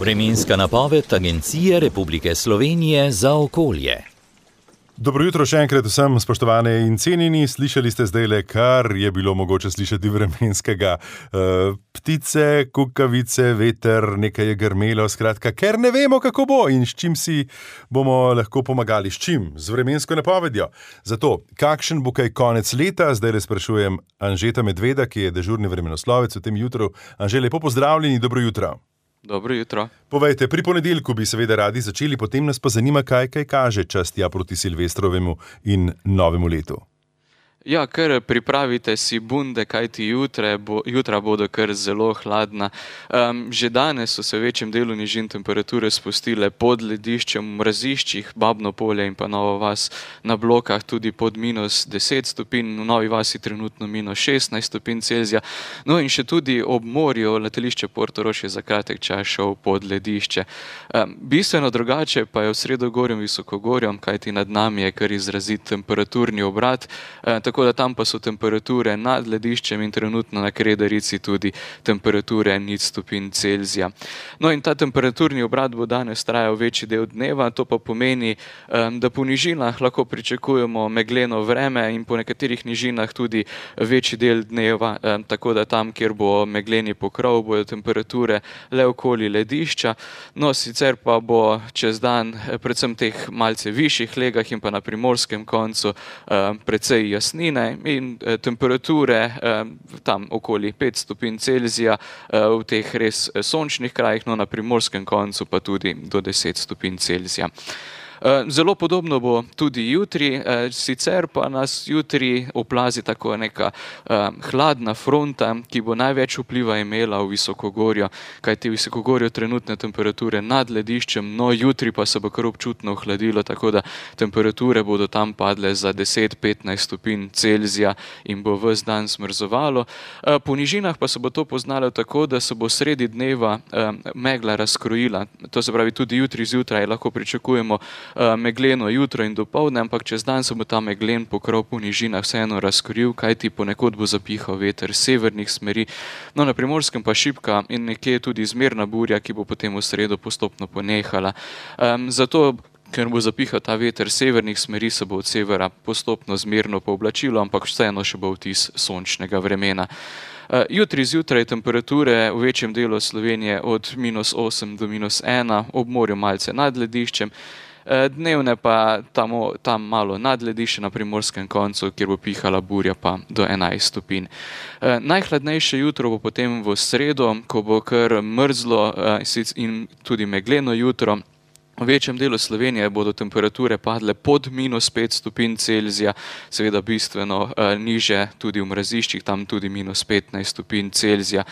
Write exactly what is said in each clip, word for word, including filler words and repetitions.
Vremenska napoved Agencije Republike Slovenije za okolje. Dobro jutro še enkrat vsem, spoštovane in cenjeni. Slišali ste zdajle, kar je bilo mogoče slišati vremenskega. E, ptice, kukavice, veter, nekaj je grmelo, skratka, ker ne vemo, kako bo in s čim si bomo lahko pomagali. S čim? Z vremensko napovedjo. Zato, kakšen bo kaj konec leta, zdajle sprašujem Anžeta Medveda, ki je dežurni vremenoslovec v tem jutru. Anže, lepo pozdravljeni, dobro jutro. Dobro jutro. Povejte, pri ponedeljku bi seveda radi začeli, potem nas pa zanima, kaj kaj kaže čas tja proti Silvestrovemu in novemu letu. Ja, kar pripravite si bunde, kajti jutre bo, jutra bodo kar zelo hladna. Um, že danes so se v večjem delu nižin temperature spustile pod lediščem v mraziščih, Babno polje in pa Nova vas na Blokah tudi pod minus deset stopinj, v Novi vasi trenutno minus šestnajst stopinj Celzija. No in še tudi ob morju letališče Portorož je za kratek čas šel pod ledišče. Um, bistveno drugače pa je v Sredogorjem Visokogorjem, kajti nad nami je kar izrazit temperaturni obrat. Um, Tako da tam pa so temperature nad lediščem in trenutno na Kredarici tudi temperature nič stopinj Celzija. No in ta temperaturni obrat bo danes trajal večji del dneva, to pa pomeni, da po nižinah lahko pričakujemo megleno vreme in po nekaterih nižinah tudi večji del dneva, tako da tam, kjer bo megleni pokrov, bodo temperature le okoli ledišča. No, sicer pa bo čez dan predvsem teh malce višjih legah in pa na primorskem koncu precej jasni in temperature tam okoli pet stopinj Celzija v teh res sončnih krajih, no na primorskem koncu pa tudi do deset stopinj Celzija. Zelo podobno bo tudi jutri, sicer pa nas jutri oplazi tako neka hladna fronta, ki bo največ vpliva imela v Visokogorju, kajti v Visokogorju trenutne temperature nad lediščem, no jutri pa se bo kar občutno ohladilo, tako da temperature bodo tam padle za deset do petnajst stopinj Celzija in bo ves dan zmrzovalo. Po nižinah pa se bo to poznalo tako, da se bo sredi dneva megla razkrojila, to se pravi tudi jutri zjutraj lahko pričakujemo megleno jutro in dopoldne, ampak čez dan se bo ta meglen pokrov po nižinah vseeno razkoril, kajti ponekod bo zapihal veter severnih smeri. No, na primorskem pa šibka in nekje tudi zmerna burja, ki bo potem v sredo postopno ponehala. Um, zato, ker bo zapihal ta veter severnih smeri, se bo od severa postopno zmerno pooblačilo, ampak vseeno še bo vtis sončnega vremena. Jutri zjutraj temperature v večjem delu Slovenije od minus osem do minus ena, ob morju malce nad lediščem, dnevne pa tam, tam malo nad ledišče na primorskem koncu, kjer bo pihala burja pa do enajst stopinj. Najhladnejše jutro bo potem v sredo, ko bo kar mrzlo in tudi megleno jutro. V večjem delu Slovenije bodo temperature padle pod minus pet stopinj Celzija, seveda bistveno eh, niže tudi v mraziščih, tam tudi minus petnajst stopinj Celzija.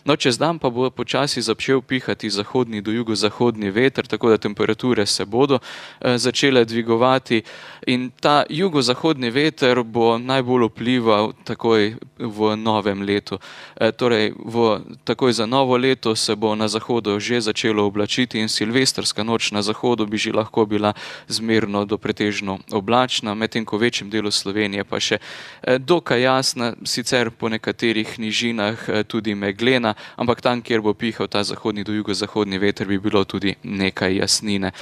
No, čez dan pa bo počasi začel pihati zahodni do jugozahodni veter, tako da temperature se bodo eh, začele dvigovati in ta jugozahodni veter bo najbolj vplival takoj v novem letu. E, torej, v, takoj za novo leto se bo na zahodu že začelo oblačiti in silvestrska noč na zahodu bi že lahko bila zmerno do pretežno oblačna, medtem ko v večjem delu Slovenije pa še eh, dokaj jasna, sicer po nekaterih nižinah eh, tudi meglena, ampak tam, kjer bo pihal ta zahodni do jugozahodni veter, bi bilo tudi nekaj jasnine.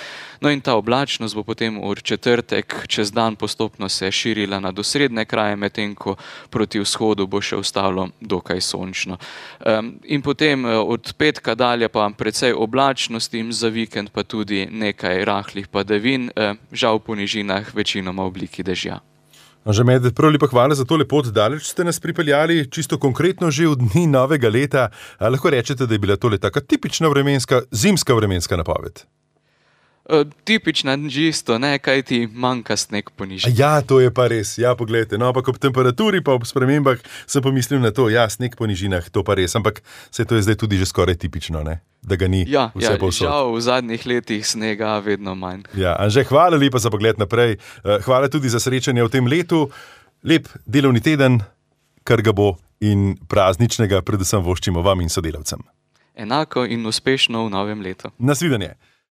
No in ta oblačnost bo potem v četrtek čez dan postopno se širila na osrednje kraje, medtem ko proti vzhodu bo še ostalo dokaj sončno. Um, in potem od petka dalje pa precej oblačnosti in za vikend pa tudi nekaj rahlih padavin, um, žal po nižinah večinoma v obliki dežja. Anže Medved, prav lepa hvala za tole pot, daleč ste nas pripeljali, čisto konkretno že v dni novega leta. A lahko rečete, da je bila tole taka tipična vremenska, zimska vremenska napoved? Uh, tipična čisto, ne, kaj ti manjka sneg po nižinah. Ja, to je pa res, ja, poglejte, no, ampak ob temperaturi pa ob spremembah sem pomislil na to, ja, sneg po nižinah, to pa res, ampak se to je zdaj tudi že skoraj tipično, ne, da ga ni ja, vse ja, povsod. Žal v zadnjih letih snega vedno manj. Ja, Anže, hvala lepa za pogled naprej, hvala tudi za srečanje v tem letu, lep delovni teden, kar ga bo in prazničnega predvsem voščimo vam in sodelavcem. Enako in uspešno v novem letu. Nasvidenje.